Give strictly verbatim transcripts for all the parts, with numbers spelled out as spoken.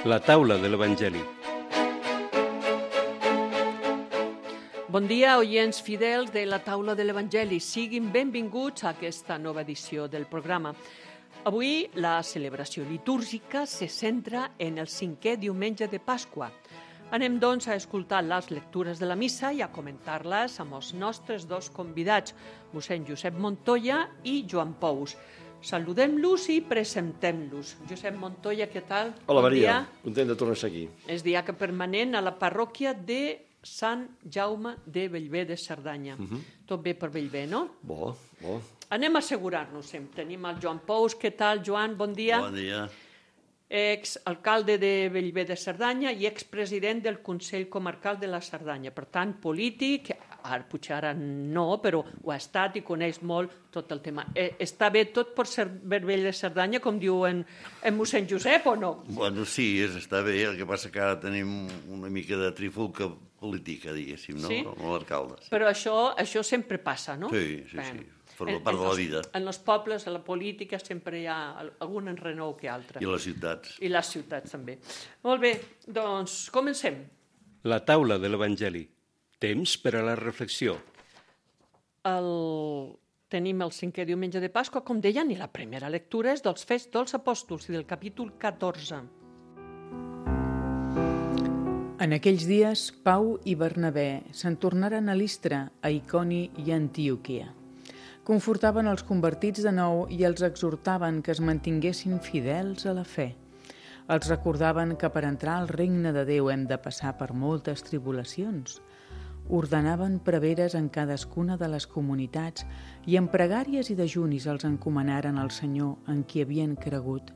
La taula de l'Evangeli. Bon dia, oients fidels de la taula de l'Evangeli. Siguin benvinguts a aquesta nova edició del programa. Avui la celebració litúrgica se centra en el cinquè diumenge de Pasqua. Anem, doncs, a escoltar les lectures de la missa i a comentar-les amb els nostres dos convidats, mossèn Josep Montoya i Joan Pous. Saludem-los i presentem-los. Josep Montoya, què tal? Hola, bon Maria. Dia. Content de tornar-se aquí. És diaca permanent a la parròquia de Sant Jaume de Bellver de Cerdanya. Uh-huh. Tot bé per Bellver, no? Bo, bo. Anem a assegurar-nos sempre. Tenim el Joan Pous. Què tal, Joan? Bon dia. Bon dia. Ex-alcalde de Bellver de Cerdanya i expresident del Consell Comarcal de la Cerdanya. Per tant, polític, ara, potser ara no, però ho ha estat i coneix molt tot el tema. Eh, està bé tot per ser Bellver de Cerdanya, com diu en, en mossèn Josep, o no? Bueno, sí, és, està bé. El que passa que ara tenim una mica de trifulca política, diguéssim, no? Sí? Amb l'alcalde. Sí. Però això, això sempre passa, no? Sí, sí, Bé. sí. Forma part de la vida. En els pobles, a la política, sempre hi ha algun enrenou que altre. I les ciutats. I les ciutats, també. Molt bé, doncs comencem. La taula de l'Evangeli. Temps per a la reflexió. El... Tenim el cinquè diumenge de Pasqua, com deien, i la primera lectura és dels Fets dels Apòstols i del capítol catorze. En aquells dies, Pau i Bernabé se'n tornaren a Listra, a Iconi i a Antioquia. Confortaven els convertits de nou i els exhortaven que es mantinguessin fidels a la fe. Els recordaven que per entrar al regne de Déu hem de passar per moltes tribulacions. Ordenaven preveres en cadascuna de les comunitats i en pregàries i dejunis els encomanaren al Senyor en qui havien cregut.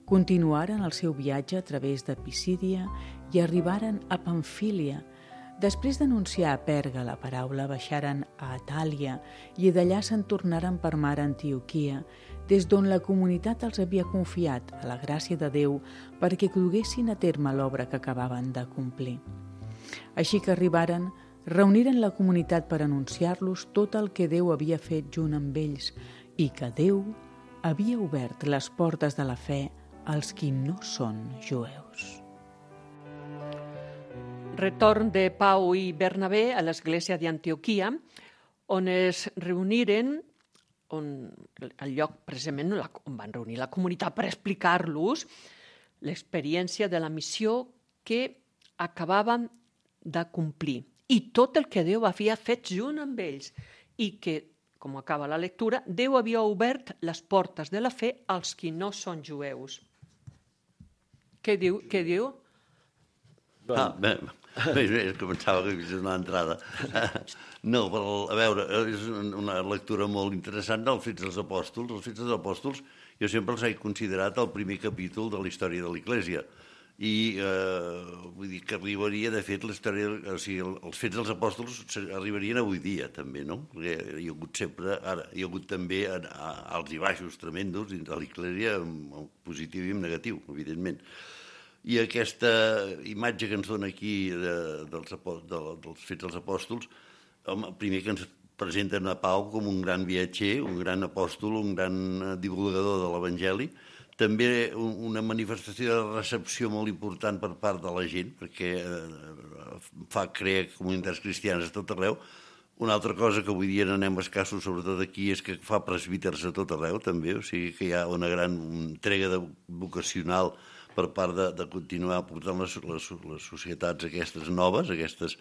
Continuaren el seu viatge a través de Pisídia i arribaren a Pamfília. Després d'anunciar a Perga la paraula, baixaren a Atàlia i d'allà se'n tornaren per mar a Antioquia, des d'on la comunitat els havia confiat a la gràcia de Déu perquè duguessin a terme l'obra que acabaven de complir. Així que arribaren, reuniren la comunitat per anunciar-los tot el que Déu havia fet junt amb ells i que Déu havia obert les portes de la fe als qui no són jueus. Retorn de Pau i Bernabé a l'església d'Antioquia, on es reuniren, on, el lloc precisament on van reunir la comunitat per explicar-los l'experiència de la missió que acabaven de complir i tot el que Déu havia fet junt amb ells i que, com acaba la lectura, Déu havia obert les portes de la fe als qui no són jueus. Què diu? Què diu? Ah, bé, bé, bé, començava que és una entrada. No, però, a veure, és una lectura molt interessant dels Fets dels Apòstols. Els Fets dels Apòstols jo sempre els he considerat el primer capítol de la història de l'Església. I eh, vull dir que arribaria, de fet, la història, o sigui, els Fets dels Apòstols arribarien avui dia, també, no? Perquè hi ha hagut sempre, ara, hi ha hagut també alts i baixos tremendos dins de l'Església, en positiu i en negatiu, evidentment. I aquesta imatge que ens dona aquí de, dels, de, dels Fets dels Apòstols, home, primer que ens presenten a Pau com un gran viatger, un gran apòstol, un gran divulgador de l'Evangeli, també una manifestació de recepció molt important per part de la gent, perquè fa crear comunitats cristianes a tot arreu. Una altra cosa que avui dia n'anem escassos, sobretot aquí, és que fa presbíters a tot arreu, també, o sigui que hi ha una gran entrega de vocacional per part de, de continuar portant les, les, les societats aquestes noves, aquestes,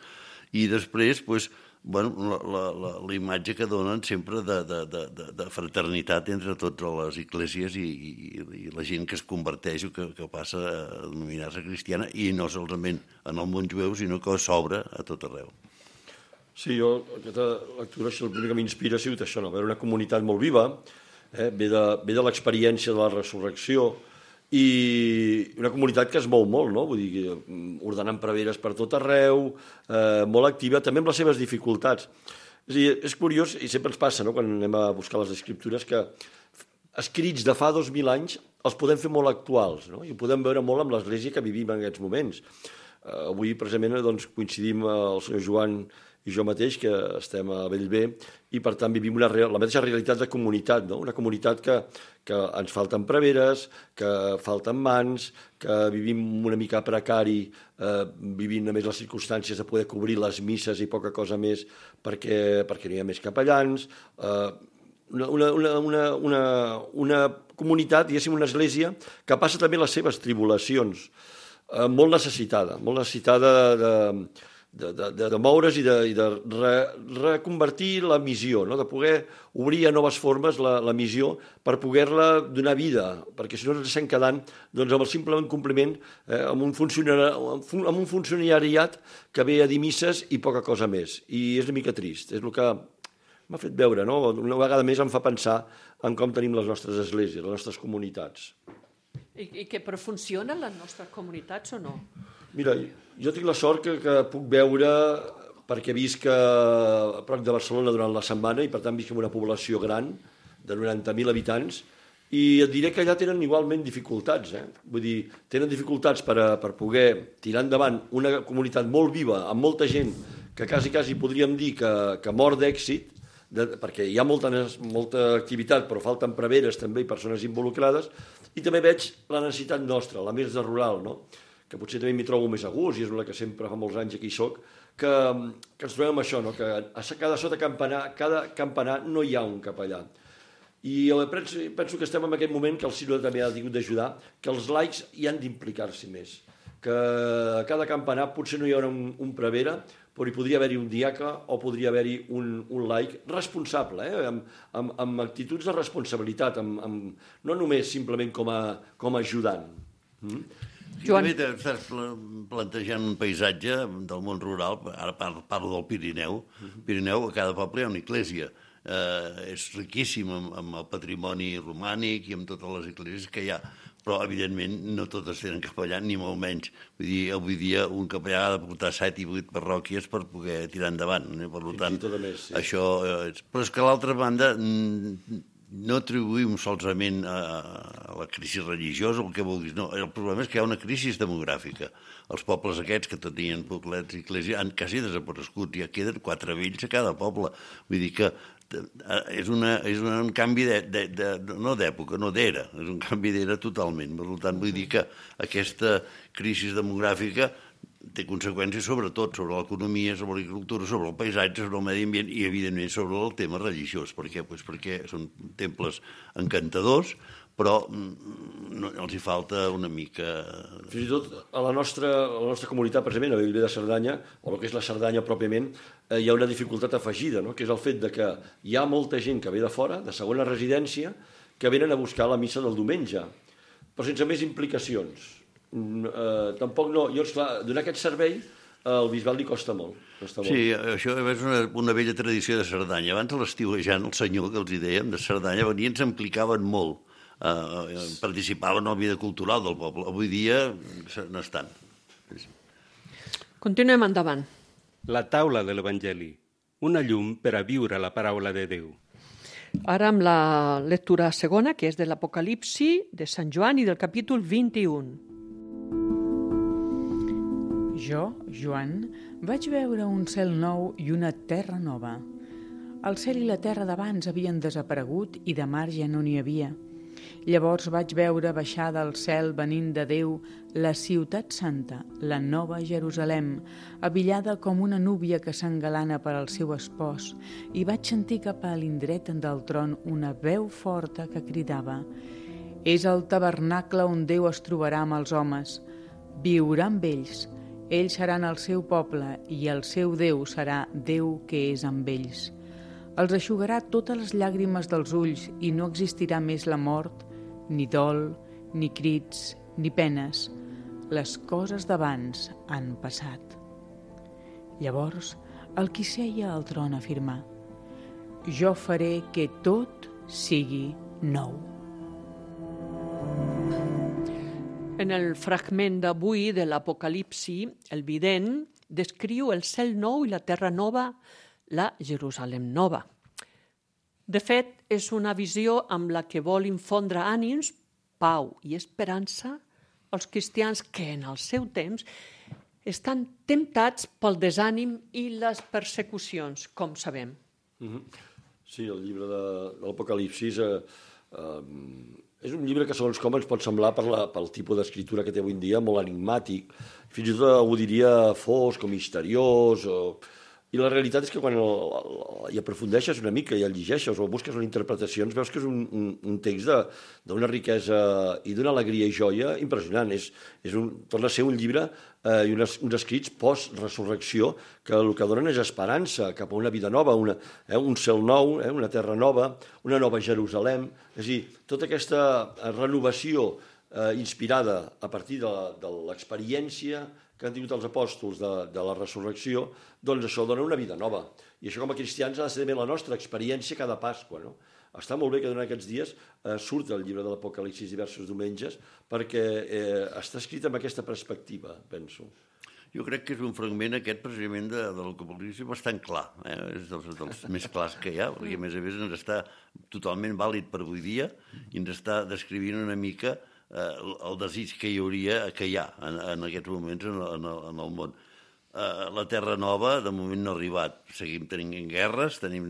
i després, doncs, bueno, la, la, la, la imatge que donen sempre de, de, de, de fraternitat entre totes les esglésies i, i, i la gent que es converteix o que, que passa a denominar-se cristiana, i no solament en el món jueu, sinó que s'obre a tot arreu. Sí, jo, aquesta lectura, el primer que m'inspira ha sigut això, no? Veure una comunitat molt viva, eh? ve de, ve de l'experiència de la resurrecció, i una comunitat que es mou molt, no? Vull dir, ordenant preveres per tot arreu, eh, molt activa, també amb les seves dificultats. És a dir, és curiós, i sempre ens passa, no?, quan anem a buscar les escriptures, que escrits de fa dos mil anys els podem fer molt actuals, no? I ho podem veure molt amb l'Església que vivim en aquests moments. Eh, avui, precisament, doncs, coincidim el senyor Joan i jo mateix, que estem a Bellver, i per tant vivim una, la mateixa realitat de comunitat, no? Una comunitat que, que ens falten preveres, que falten mans, que vivim una mica precari, eh, vivint a més les circumstàncies de poder cobrir les misses i poca cosa més perquè, perquè no hi ha més capellans, eh, una, una, una, una, una comunitat, diguéssim, una església que passa també les seves tribulacions, eh, molt necessitada, molt necessitada de... de, de, de, de moure's i de, i de re, reconvertir la missió, no? De poder obrir a noves formes la, la missió per poder-la donar vida, perquè si no ens estem quedant doncs, amb el simple compliment, eh, amb, un amb un funcionariat que ve a dir misses i poca cosa més. I és una mica trist, és el que m'ha fet veure, no? Una vegada més em fa pensar en com tenim les nostres esglésies, les nostres comunitats. I, i que però funcionen les nostres comunitats o no? Mira, jo tinc la sort que, que puc veure, perquè visc a prop de Barcelona durant la setmana i per tant visc en una població gran, de noranta mil habitants, i et diré que allà tenen igualment dificultats. Eh? Vull dir, tenen dificultats per, a, per poder tirar endavant una comunitat molt viva, amb molta gent, que quasi, quasi podríem dir que, que mor d'èxit, de, perquè hi ha molta, molta activitat, però falten preveres també i persones involucrades, i també veig la necessitat nostra, la més de rural, no? Que potser també m'hi trobo més a gust, i és una que sempre fa molts anys aquí soc, que, que ens trobem amb això, no? Que a cada sota campanar, cada campanar no hi ha un capellà. I penso, penso que estem en aquest moment que el sínode també ha tingut d'ajudar, que els laics hi han d'implicar-s'hi més, que a cada campanar potser no hi haurà un, un prevere, però hi podria haver-hi un diaca o podria haver-hi un, un laic responsable, eh? amb, amb, amb actituds de responsabilitat, amb, amb, no només simplement com a, com a ajudant. Mm? Joan. També estàs plantejant un paisatge del món rural, ara parlo del Pirineu. Pirineu, a cada poble hi ha una església. Eh, és riquíssim amb, amb el patrimoni romànic i amb totes les esglésies que hi ha, però evidentment no totes tenen capellà, ni molt menys. Vull dir, avui dia un capellà ha de portar set i vuit parròquies per poder tirar endavant. Eh? Per tant, més, sí. Això... Eh, però és que a l'altra banda... no atribuïm solament a, a la crisi religiosa o el que vulguis, no. El problema és que hi ha una crisi demogràfica. Els pobles aquests que tenien poblets i esglésies han quasi desaparegut, ja queden quatre vells a cada poble. Vull dir que és, una, és un canvi de, de, de, no d'època, no d'era, és un canvi d'era totalment. Per tant, vull dir que aquesta crisi demogràfica té conseqüències sobretot sobre l'economia, sobre l'agricultura, sobre el paisatge, sobre el medi ambient i, evidentment, sobre el tema religiós. Per què? Pues perquè són temples encantadors, però no, els hi falta una mica... Fins i tot a la nostra, a la nostra comunitat, precisament, a Bellver de Cerdanya, o el que és la Cerdanya pròpiament, eh, hi ha una dificultat afegida, no? Que és el fet de que hi ha molta gent que ve de fora, de segona residència, que venen a buscar la missa del diumenge, però sense més implicacions. Uh, tampoc no, jo, esclar, donar aquest servei al bisbal li costa molt, costa molt. Sí, això és una, una vella tradició de Cerdanya. Abans a l'estiuejant, el senyor que els hi dèiem de Cerdanya venien, s'implicaven molt, uh, participaven en la vida cultural del poble. Avui dia no estan. Continuem endavant. La taula de l'Evangeli, una llum per a viure la paraula de Déu. Ara amb la lectura segona, que és de l'Apocalipsi de Sant Joan i del capítol vint-i-un. Jo, Joan, vaig veure un cel nou i una terra nova. El cel i la terra d'abans havien desaparegut i de mar ja no n'hi havia. Llavors vaig veure baixar del cel venint de Déu la ciutat santa, la nova Jerusalem, abillada com una núvia que s'engalana per al seu espòs, i vaig sentir cap a l'indret del tron una veu forta que cridava: «És el tabernacle on Déu es trobarà amb els homes. Viurà amb ells. Ells seran el seu poble i el seu Déu serà Déu que és amb ells. Els eixugarà totes les llàgrimes dels ulls i no existirà més la mort, ni dol, ni crits, ni penes. Les coses d'abans han passat». Llavors, el qui seia al tron afirmà: «Jo faré que tot sigui nou». En el fragment d'avui de l'Apocalipsi, el vident descriu el cel nou i la terra nova, la Jerusalem nova. De fet, és una visió amb la que vol infondre ànims, pau i esperança als cristians que en el seu temps estan temptats pel desànim i les persecucions, com sabem. Mm-hmm. Sí, el llibre de, de l'Apocalipsis eh, eh, és un llibre que, segons com, ens pot semblar per la, pel tipus d'escriptura que té avui en dia, molt enigmàtic, fins i tot algú diria fosc o misteriós, o... I la realitat és que quan el, el, hi aprofundeixes una mica i el llegeixes o busques les interpretacions, veus que és un, un, un text d'una riquesa i d'una alegria i joia impressionant. És, és un, torna a ser un llibre eh, i unes, uns escrits post-resurrecció que el que donen és esperança cap a una vida nova, una, eh, un cel nou, eh, una terra nova, una nova Jerusalem. És a dir, tota aquesta renovació eh, inspirada a partir de, de l'experiència que han tingut els apòstols de, de la resurrecció, doncs això dona una vida nova. I això com a cristians ha de ser també la nostra experiència cada Pasqua. No? Està molt bé que durant aquests dies eh, surt el llibre de l'Apocalipsis diversos diumenges perquè eh, està escrit amb aquesta perspectiva, penso. Jo crec que és un fragment aquest precisament de, de l'Apocalipsi bastant clar, eh? És dels, dels més clars que hi ha, perquè a més a més ens està totalment vàlid per avui dia i ens està descrivint una mica eh, el desig que hi hauria, que hi ha en, en aquests moments en, en, en el món. Uh, la Terra Nova, de moment, no ha arribat. Seguim tenint guerres, tenim,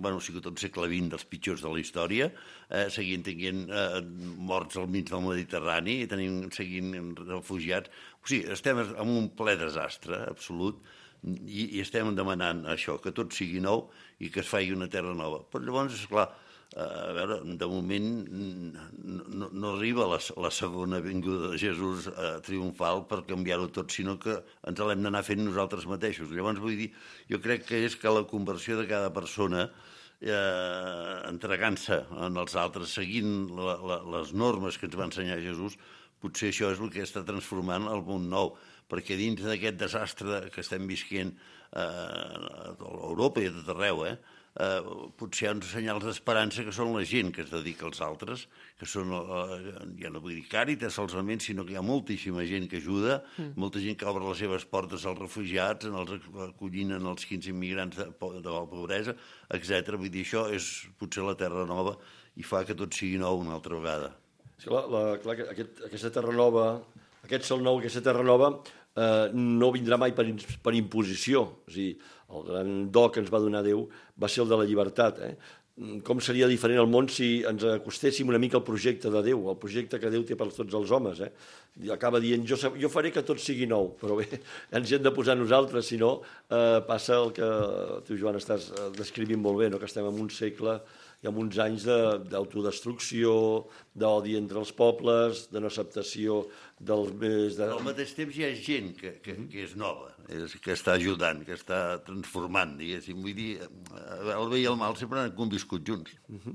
bueno, ha sigut tot segle vint dels pitjors de la història, uh, seguim tenint uh, morts al mig del Mediterrani, i tenim, seguint refugiats. O sigui, estem en un ple desastre absolut i, i estem demanant això, que tot sigui nou i que es faci una Terra Nova. Però llavors, esclar, a veure, de moment no, no arriba la, la segona vinguda de Jesús eh, triomfal per canviar-ho tot, sinó que ens l'hem d'anar fent nosaltres mateixos. Llavors, vull dir, jo crec que és que la conversió de cada persona, eh, entregant-se en els altres, seguint la, la, les normes que ens va ensenyar Jesús, potser això és el que està transformant el món nou, perquè dins d'aquest desastre que estem visquent eh, a Europa i a tot arreu, eh, Uh, potser hi ha uns senyals d'esperança que són la gent que es dedica als altres, que són, uh, ja no vull dir càritas solament, sinó que hi ha moltíssima gent que ajuda, mm. molta gent que obre les seves portes als refugiats, en els acollint en els quinze immigrants de, de la pobresa, etcètera. Vull dir, això és potser la Terra Nova i fa que tot sigui nou una altra vegada. Sí, la, la, clar, aquest, aquesta Terra Nova, aquest sol nou, aquesta Terra Nova, eh, no vindrà mai per, per imposició. O sigui, el gran do que ens va donar Déu va ser el de la llibertat. Eh? Com seria diferent el món si ens acostéssim una mica al projecte de Déu, al projecte que Déu té per tots els homes. Eh? Acaba dient, jo, jo faré que tot sigui nou, però bé, ens hi hem de posar nosaltres, si no eh, passa el que tu, Joan, estàs descrivint molt bé, no? Que estem en un segle i en uns anys d'autodestrucció, d'odi entre els pobles, de no acceptació dels més... De... Al mateix temps hi ha gent que, que, que és nova, és, que està ajudant, que està transformant, diguéssim. Vull dir, el bé i el mal sempre han conviscut junts. Uh-huh.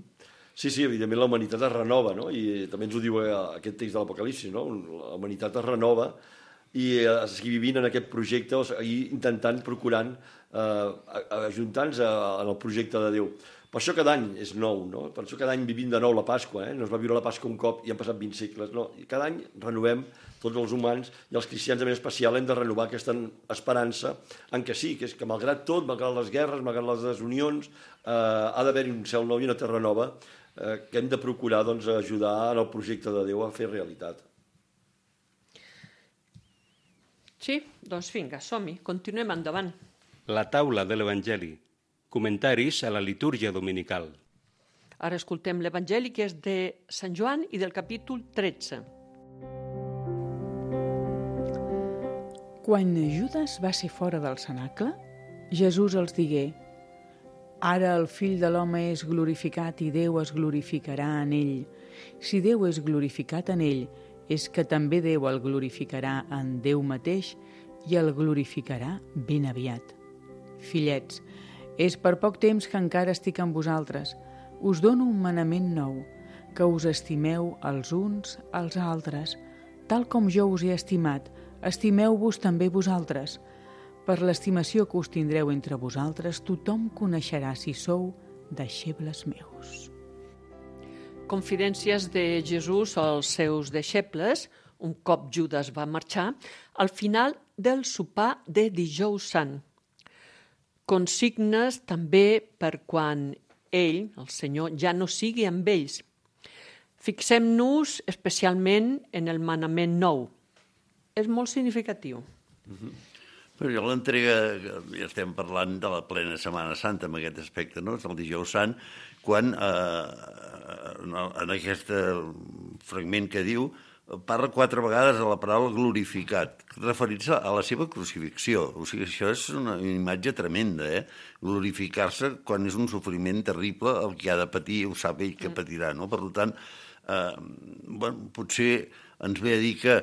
Sí, sí, evidentment la humanitat es renova, no? I també ens ho diu aquest text de l'Apocalipsi, no? La humanitat es renova i es seguir vivint en aquest projecte, o sigui, intentant, procurant, eh, ajuntar-nos en el projecte de Déu. Per això cada any és nou, no? Per això cada any vivim de nou la Pasqua, eh? No es va viure la Pasqua un cop i han passat vint segles, no? I cada any renovem, tots els humans i els cristians de manera especial hem de renovar aquesta esperança en què sí, que és que malgrat tot, malgrat les guerres, malgrat les desunions, eh, ha d'haver-hi un cel nou i una terra nova eh, que hem de procurar doncs, ajudar en el projecte de Déu a fer realitat. Sí, doncs vinga, som-hi, continuem endavant. La taula de l'Evangeli. Comentaris a la litúrgia dominical. Ara escoltem l'Evangeli, que és de Sant Joan i del capítol tretze. Quan Judes va ser fora del cenacle, Jesús els digué: «Ara el Fill de l'home és glorificat i Déu es glorificarà en ell. Si Déu és glorificat en ell, és que també Déu el glorificarà en Déu mateix i el glorificarà ben aviat. Fillets, és per poc temps que encara estic amb vosaltres. Us dono un manament nou, que us estimeu els uns als altres. Tal com jo us he estimat, estimeu-vos també vosaltres. Per l'estimació que us tindreu entre vosaltres, tothom coneixerà si sou deixebles meus». Confidències de Jesús als seus deixebles, un cop Judes va marxar, al final del sopar de Dijous Sant. Consignes també per quan ell, el Senyor, ja no sigui amb ells. Fixem-nos especialment en el manament nou. És molt significatiu. Uh-huh. Però jo l'entrega, ja estem parlant de la plena Setmana Santa en aquest aspecte, no? És el dijous sant, quan eh, en aquest fragment que diu parla quatre vegades de la paraula glorificat, referint-se a la seva crucifixió. O sigui, això és una imatge tremenda, eh? Glorificar-se quan és un sofriment terrible, el que ha de patir ho sap ell que patirà, no? Per tant, eh, bueno, potser ens ve a dir que,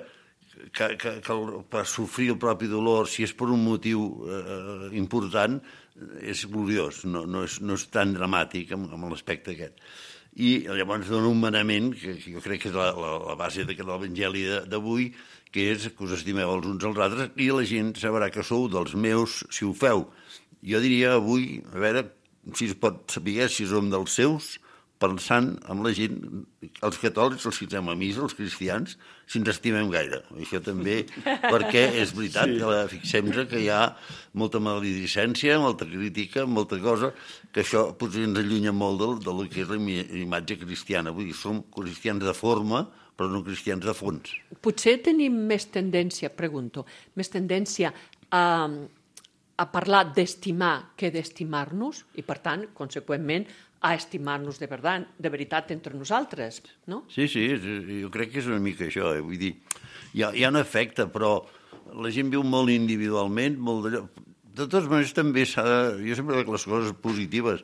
que, que, que per sofrir el propi dolor, si és per un motiu eh, important, és gloriós, no, no, és, no és tan dramàtic amb, amb l'aspecte aquest. I llavors dona un manament, que jo crec que és la, la, la base de l'Evangeli d'avui, que és que us estimeu els uns als altres i la gent sabrà que sou dels meus si ho feu. Jo diria avui, a veure si es pot saber si som dels seus, pensant en la gent, els catòlics, els que anem a missa, els cristians, si ens estimem gaire. Això també, perquè és veritat, sí. Que fixem-nos que hi ha molta maledicència, molta crítica, molta cosa, que això potser ens allunya molt del, del que és la imatge cristiana. Vull dir, som cristians de forma, però no cristians de fons. Potser tenim més tendència, pregunto, més tendència a, a parlar d'estimar que d'estimar-nos i, per tant, conseqüentment, a estimar-nos de veritat, de veritat entre nosaltres, no? Sí, sí, jo crec que és una mica això. Eh? Vull dir, hi ha, hi ha un efecte, però la gent viu molt individualment, molt d'allò. De totes maneres, també s'ha de... Jo sempre veig les coses positives.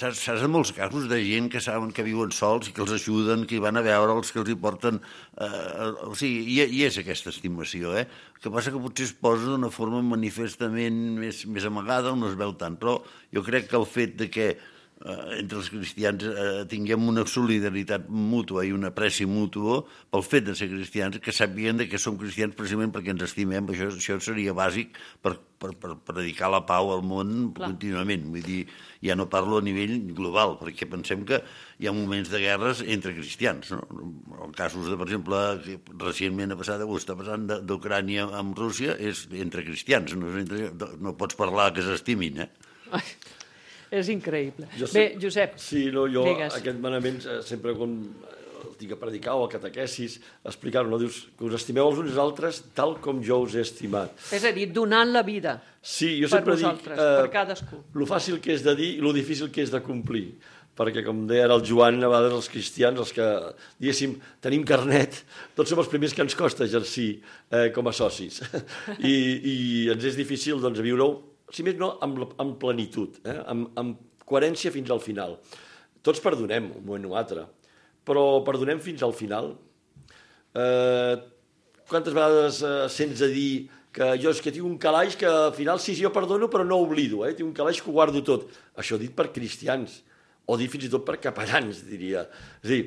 Saps, saps de molts casos de gent que saben que viuen sols i que els ajuden, que hi van a veure'ls, que els hi porten... Eh, o sigui, hi, hi és aquesta estimació, eh? El que passa que potser es posa d'una forma manifestament més, més amagada, on no es veu tant, però jo crec que el fet de que eh, entre els cristians eh, tinguem una solidaritat mútua i una apreci mútua pel fet de ser cristians, que sàpiguen que som cristians precisament perquè ens estimem, això, això seria bàsic per, per, per predicar la pau al món Clar. Contínuament. Vull dir, ja no parlo a nivell global, perquè pensem que hi ha moments de guerres entre cristians. No? En casos de, per exemple, que recentment ha passat, o està passant d'Ucrània amb Rússia, és entre cristians. No, entre, no pots parlar que s'estimin, eh? Ai, és increïble. Jo sé, Bé, Josep, sí, no, jo digues. Aquest manament sempre quan el tinc a predicar o a catequesis, explicar-ho, no? Dius que us estimeu els uns als altres tal com jo us he estimat. És a dir, donant la vida sí, jo per sempre vosaltres, dic, eh, per cadascú. Lo fàcil que és de dir i lo difícil que és de complir. Perquè, com deia ara el Joan, a vegades els cristians, els que, diguéssim, tenim carnet, tots som els primers que ens costa exercir eh, com a socis. I, I ens és difícil, doncs, viure-ho, si més no, amb, amb plenitud, eh? amb, amb coherència fins al final. Tots perdonem, un moment o altre, però perdonem fins al final. Eh, quantes vegades eh, sents a dir que jo és que tinc un calaix que al final sí, jo perdono, però no oblido, eh? Tinc un calaix que ho guardo tot. Això dit per cristians, o dit fins i tot per capellans, diria. És a dir,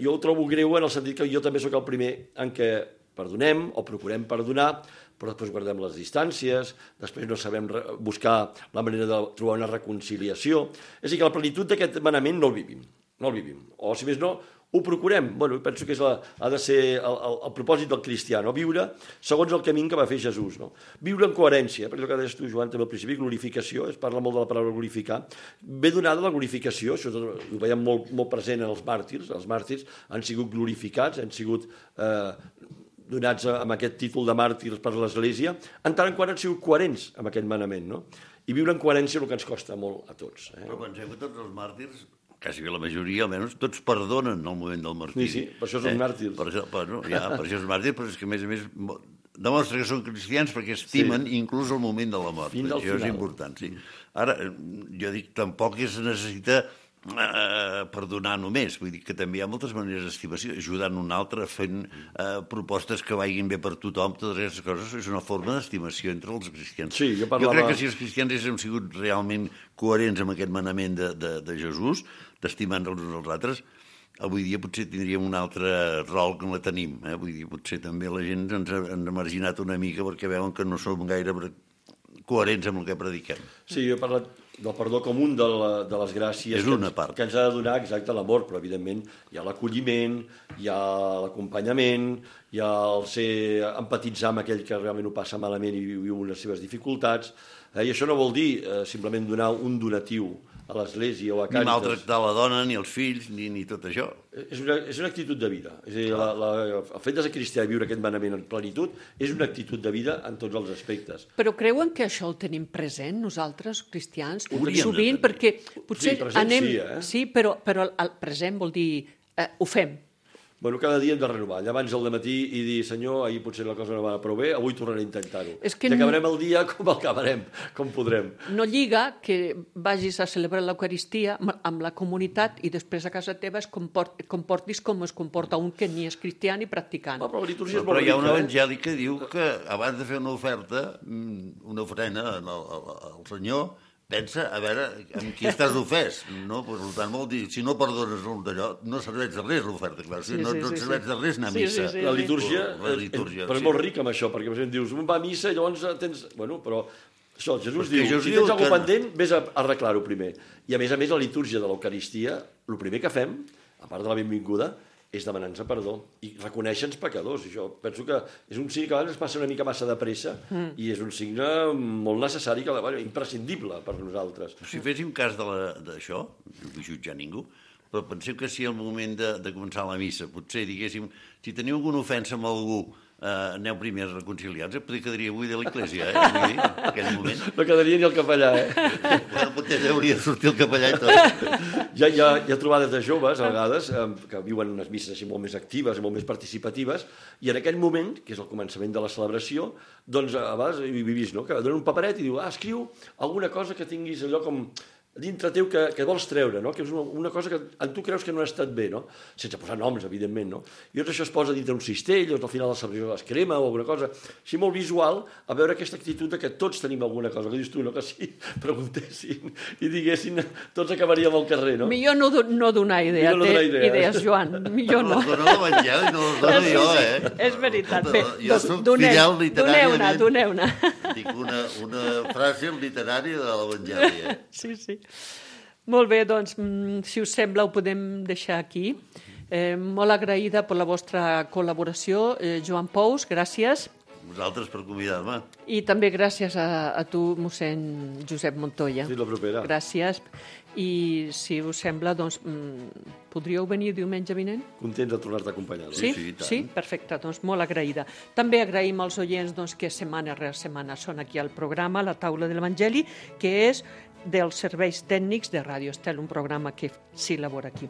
jo ho trobo greu en el sentit que jo també sóc el primer en què perdonem o procurem perdonar, però després guardem les distàncies, després no sabem buscar la manera de trobar una reconciliació. És a dir, que la plenitud d'aquest manament no el vivim, no el vivim. O, si més no, ho procurem. Bueno, penso que és la, ha de ser el, el, el propòsit del cristià, no? Viure segons el camí que va fer Jesús. No? Viure en coherència, perquè el que deies tu, Joan, també al principi, glorificació, es parla molt de la paraula glorificar, ve donada la glorificació, això ho veiem molt, molt present en els màrtirs, els màrtirs han sigut glorificats, han sigut eh, donats amb aquest títol de màrtirs per l'Església, en tant en quant han sigut coherents amb aquest manament, no? I viure en coherència és el que ens costa molt a tots. Eh? Però penseu que tots els màrtirs, quasi la majoria almenys, tots perdonen el moment del martiri. Sí, sí, per això són eh? màrtirs. Per això, bueno, ja, per això són màrtirs, però és que a més a més demostra que són cristians perquè estimen sí. Inclús el moment de la mort. Fins al això final. És important, sí. Ara, jo dic, tampoc es necessita eh, perdonar només, vull dir que també hi ha moltes maneres d'estimació, ajudant un altre, fent eh, propostes que vagin bé per tothom, totes aquestes coses, és una forma d'estimació entre els cristians. Sí, jo, parlava... jo crec que si els cristians haguéssim sigut realment coherents amb aquest manament de, de, de Jesús, d'estimar-nos els uns als altres, avui dia potser tindríem un altre rol que no la tenim. Eh? Vull dir, potser també la gent ens ha, ens ha marginat una mica perquè veuen que no som gaire coherents amb el que prediquem. Sí, jo he parlat del perdó com un de, la, de les gràcies és que, una ens, part. que ens ha de donar exacte l'amor, però evidentment hi ha l'acolliment, hi ha l'acompanyament, hi ha el ser empatitzar amb aquell que realment ho passa malament i viu les seves dificultats, eh? I això no vol dir eh, simplement donar un donatiu a l'església o a Ni Càritas. maltractar la dona, ni els fills, ni, ni tot això. És una, és una actitud de vida. És a dir, la, la, el fet de ser cristià i viure aquest manament en plenitud és una actitud de vida en tots els aspectes. Però creuen que això el tenim present, nosaltres, cristians? Hauríem de Sovint, tenir. perquè potser Sí, present anem... sí, eh? Sí, però, però el present vol dir... Eh, ho fem. Bueno, cada dia hem de renovar. Llavors al matí i dir, senyor, ahir potser la cosa no va prou bé, avui tornaré a intentar-ho. És que I acabarem el dia com el acabarem, com podrem. No lliga que vagis a celebrar l'Eucaristia amb la comunitat i després a casa teva es comport, comportis com es comporta un que ni és cristià ni practicant. Ah, però la litúrgia és Però molt hi ha un rica, evangeli que diu que abans de fer una oferta, una ofrena al, al, al senyor, pensa a veure amb qui estàs ofès, no? Per tant, vol dir, si no perdones d'allò, no serveix de res l'oferta, clar. Sí, no, sí, no sí, et serveix sí. de res anar a Sí, missa. sí, sí. La litúrgia, La litúrgia, però és sí. molt rica amb això, perquè per exemple dius, un va a missa i llavors tens... Bueno, però això, Jesús Perquè diu, Jesús si diu tens alguna que- cosa pendent, vés a arreglar-ho primer. I a més a més, la litúrgia de l'Eucaristia, el primer que fem, a part de la benvinguda, és demanar-nos perdó i reconèixer-nos pecadors. I jo penso que és un signe que a vegades ens passa una mica massa de pressa mm. i és un signe molt necessari, que, bueno, imprescindible per nosaltres. Si féssim cas de la- d'això, no vull jutjar ningú, però penseu que si al moment de, de començar la missa, potser diguéssim, si teniu alguna ofensa amb algú, eh, aneu primer reconciliats, potser quedaria avui de l'església, eh? Vull dir, en aquell moment. No quedaria ni el capellà, eh? Bueno, potser hauria de sortir el capellà i tot. Hi ha, hi, ha, hi ha trobades de joves, a vegades, eh, que viuen unes misses així molt més actives, molt més participatives, i en aquell moment, que és el començament de la celebració, doncs a vegades hi he vist, no?, que donen un paperet i diu, ah, escriu alguna cosa que tinguis allò com dintre teu que, que vols treure, no?, que és una, una cosa que en tu creus que no ha estat bé, no?, sense posar noms, evidentment, no? I llavors això es posa dintre un cistell, o al final de la celebració es crema o alguna cosa, així molt visual, a veure aquesta actitud de que tots tenim alguna cosa, que dius tu, no?, que si preguntessin i diguessin, tots acabaríem al carrer, no? Millor no, do- no donar idea, Millor no donar té idea. idees, Joan, millor no. Les dona l'Evangeli, no les dono Sí, jo, sí, eh? és veritat. Bé, Jo doncs soc doneu- fidel literàriament. doneu-ne, doneu-ne. Dic una, una frase literària de l'Evangeli, eh? Sí, sí. Molt bé, doncs, mm, si us sembla, ho podem deixar aquí. Eh, molt agraïda per la vostra col·laboració. Eh, Joan Pous, gràcies. Vosaltres per convidar-me. I també gràcies a, a tu, mossèn Josep Montoya. Fins la propera. Gràcies. I si us sembla, doncs, mm, podríeu venir diumenge vinent? Contents de tornar-te a acompanyar. no? Sí, sí, i tant. sí, perfecte, doncs molt agraïda. També agraïm als oients doncs, que setmana rere setmana són aquí al programa, la taula de l'Evangeli, que és dels serveis tècnics de Ràdio Estel, un programa que s'elabora aquí.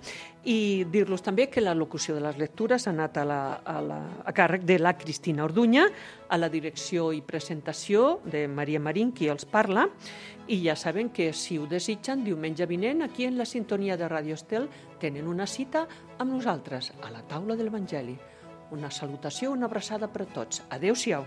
I dir-los també que la locució de les lectures ha anat a, la, a, la, a càrrec de la Cristina Orduña, a la direcció i presentació de Maria Marín, qui els parla, i ja saben que si ho desitgen, diumenge vinent, aquí en la sintonia de Ràdio Estel, tenen una cita amb nosaltres, a la taula de l'Evangeli. Una salutació, una abraçada per a tots. Adéu-siau.